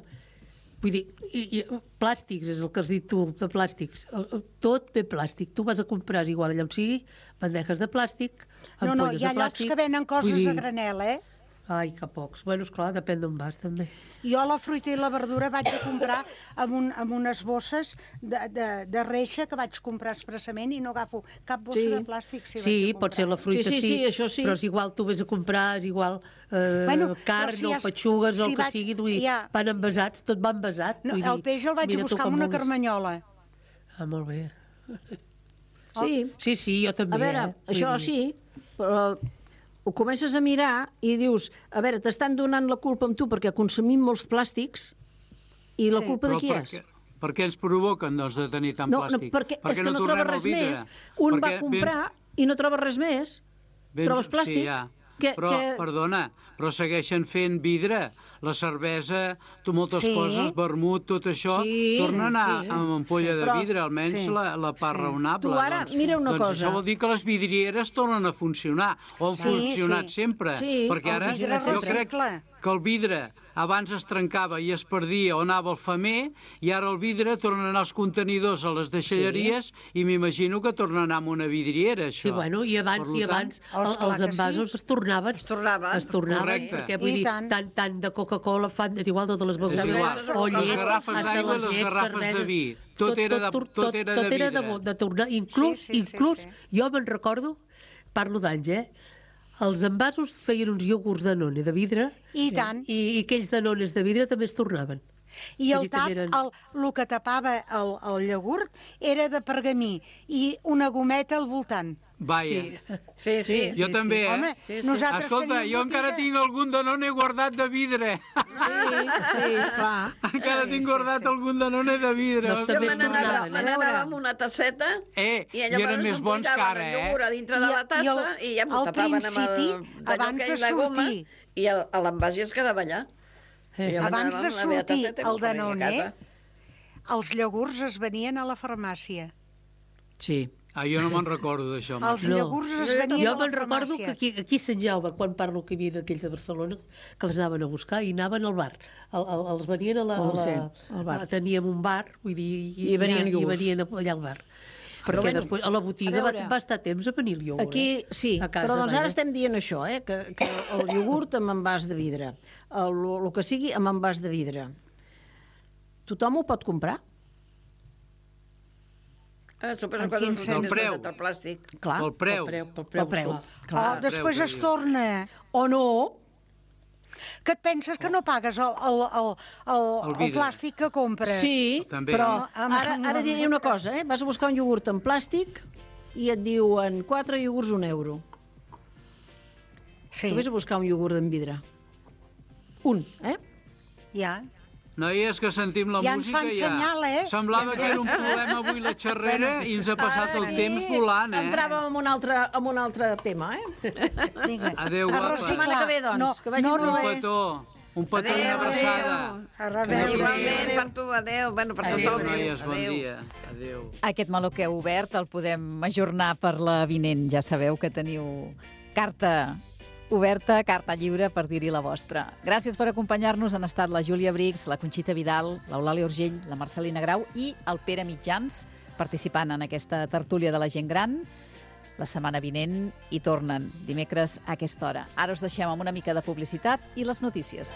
vull dir, i, i, plàstics, és el que has dit tu, de plàstics. El- el- Tot ve plàstic. Tu vas a comprar, és igual allà on sigui, bandejes de plàstic, No, no, ampolles hi ha de llocs plàstic. que venen coses Vull dir, a granel, eh? Ai, que pocs. Bueno, esclar, depèn d'on vas, també. Jo la fruita i la verdura vaig a comprar amb, un, amb unes bosses de, de, de reixa que vaig comprar expressament i no agafo cap bossa Sí. de plàstic. Si Sí, vaig a comprar. pot ser la fruita, Sí, sí, sí, això sí. però és igual, tu vés a comprar, és igual eh, Bueno, carn però si o has- petxugues o si el que vaig- sigui, vull dir, ja. van envasats, tot va envasat. No, vull dir, el peix el vaig mira a tu buscar com amb una vulguis. carmanyola. Ah, molt bé. Sí, Sí, sí, jo també. a veure, eh? això Vull dir, sí, però ho comences a mirar i dius, a veure, t'estan donant la culpa amb tu perquè consumim molts plàstics i la Sí. culpa de Però qui per és? què, per què ens provoquen, doncs, de tenir tant No, no, plàstic? perquè Per és què que no, tornem troba al res vidre? més. Un va Perquè comprar i no troba res més. ben- Trobes plàstic. Sí, ja. Que, Però, que... perdona, però segueixen fent vidre. La cervesa, tu, moltes Sí. coses, vermut, tot això, Sí, torna a anar sí. amb ampolla Sí. de Però- vidre, almenys sí, la, la part sí. raonable. Tu ara, doncs, mira una doncs cosa. Això vol dir que les vidrieres tornen a funcionar, o han Sí, funcionat sí. sempre, Sí, perquè el ara vidre jo recicle. crec que el vidre abans es trencava i es perdia o anava al femer, i ara el vidre torna a anar als contenidors a les deixalleries sí. i m'imagino que torna a anar amb una vidriera, això. Sí, bueno, i abans, i abans Oh, el, esclar els que envasos sí. es tornaven. Es tornaven. Es tornaven, Correcte. perquè vull I dir, tant. tant, tant de Coca-Cola fan, és igual, totes les És igual. begudes, o Les llet, garrafes hasta d'aigua i les les llets, garrafes de cerveses, vi. Tot era de- tot era de tot era de, vidre. de tornar, inclús, Sí, sí, sí, inclús sí. jo me'n recordo, parlo d'anys, eh? Els envasos feien uns iogurts de none de vidre I tant. i, i aquells de nones de vidre també es tornaven. I el Vull dir que tap, eren- el, el que tapava el, el llagurt era de pergamí i una gometa al voltant. Vaja. Sí, sí. Jo també, eh? Home, Sí, sí. nosaltres Escolta, tenim jo encara botiga. tinc algun Danone guardat de vidre. Sí, sí, clar. Encara tinc guardat algun Danone de vidre. Doncs Jo també me es n'anava tornaven, me eh? n'anava amb una tasseta Eh, i i llavors eren més bons que omplitaven ara, el eh? iogurt a dintre de I- la tassa i i, el- ja m'ho al tapaven amb el principi, d'allò abans que de és la goma sortir- i el- a l'envàs es quedava allà. Eh. I jo me Abans n'anava de amb la meva sortir tasseta i el m'ho feia a Danone, casa. els llagurts es venien a la farmàcia. Sí. Ah, jo no me'n recordo d'això. Els llagurts es venien jo a la me'n recordo que farmàcia. aquí, aquí a Sant Jaume, quan parlo que hi havia aquells de Barcelona, que els anaven a buscar i anaven al bar. El, el, els venien a la... Oh, a la sí, al bar. a- Teníem un bar, vull dir, i, I venien i, i iogurts. venien allà al bar. Però Perquè bueno, després, a la botiga a veure, va, va estar temps a venir el iogurt. Aquí, eh? sí, a casa, però doncs ara vaja. estem dient això, eh? que, que el iogurt amb envàs de vidre, el, el que sigui amb envàs de vidre, tothom ho pot comprar? Ah, suposo En que quin dos sentit? més El preu. del plàstic. Clar. Pel preu. Pel preu, pel Pel preu. preu. clar. Oh, després preu, es que diu. torna. O no, Que et penses que no pagues el, el, el, el, El el vidre. plàstic que compres? sí, També. però No, amb- ara, ara diré una cosa, eh? Vas a buscar un iogurt en plàstic i et diuen quatre iogurts un euro. Sí, Tu vés a buscar un iogurt en vidre. Un, eh? ja. Noies, que sentim la Ja ens música fan ja. senyal, eh? Semblava que era un problema avui la xerrera i ens ha passat el Ara temps aquí volant, eh? Entràvem en un altre, en un altre tema, eh? Vinga. Adéu, A guapa. reciclar. Setmana que ve, doncs, No, que vagi no, molt no, Un bé. petó, un petó i una Adéu, abraçada. A reveure. Igualment, per tu, adéu. Bueno, per Adéu, tothom. noies, bon Adéu. dia. Adéu. Aquest meló que heu obert el podem ajornar per la vinent. Ja sabeu que teniu carta oberta, carta lliure per dir-hi la vostra. Gràcies per acompanyar-nos. Han estat la Júlia Brix, la Conxita Vidal, l'Eulàlia Urgell, la Marcelina Grau i el Pere Mitjans participant en aquesta tertúlia de la gent gran. La setmana vinent hi tornen, dimecres a aquesta hora. Ara us deixem amb una mica de publicitat i les notícies.